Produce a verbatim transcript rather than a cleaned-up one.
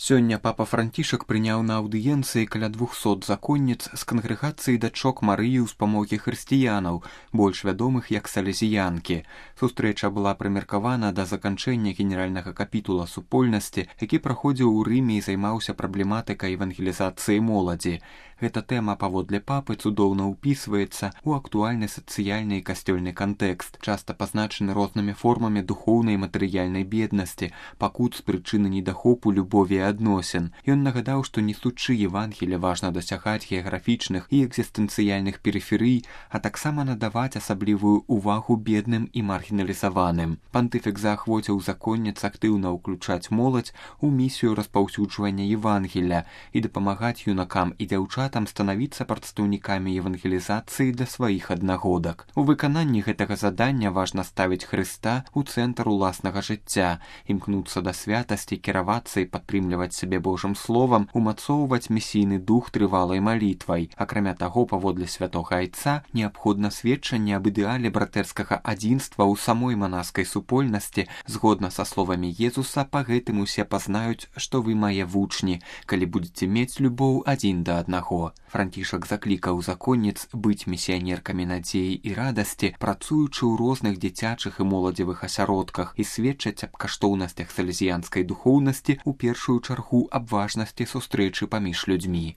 Сёння папа Францішак прыняў на аўдыенцыі каля двухсот законніц з кангрэгацыі дачок Марыі ўспамогі хрысціянаў, больш вядомых як салезіянкі. Сустрэча была прымеркавана да заканчэння генеральнага капітула супольнасці, які праходзіў у Рыме і займаўся праблематыкай евангелізацыі моладзі. Гэта тэма, паводле папы, цудоўна ўпісваецца ў актуальны сацыяльны і касцёльны кантэкст, часта пазначаны рознымі формамі духоўнай і матэрыяльнай беднасці, пакут з прычыны недахопу любові і адносін. Ён нагадаў, што несучы Евангелія важна дасягаць геаграфічных і экзістэнцыяльных перыферый, а таксама надаваць асаблівую ўвагу бедным і маргіналізаваным. Пантыфік заахвоціў законніц актыўна ўключаць моладзь у місію распаўсюджвання Евангелія і дапамагаць юнакам і дзяўчатам там станавіцца прадстаўнікамі евангелізацыі для сваіх аднагодак. У выкананні гэтага задання важна ставіць Хрыста ў цэнтр уласнага жыцця, імкнуцца да святасці, кіравацца і падтрымліваць сябе Божым словам, умацоўваць місійны дух трывалай малітвай. Акрамя таго, паводле святога айца, неабходна сведчанне аб ідэале братэрскага адзінства ў самой манаскай супольнасці. Згодна са словамі Езуса, па гэтым усе пазнаюць, што вы мае вучні, калі будзеце мець любоў адзін да аднаго. Францішак заклікаў законніц быць місіянеркамі надзеі і радасці, працуючы ў розных дзіцячых і моладзевых асяродках і сведчаць аб каштоўнасцях салезіянскай духоўнасці, у першую чаргу аб важнасці сустрэчы паміж людзьмі.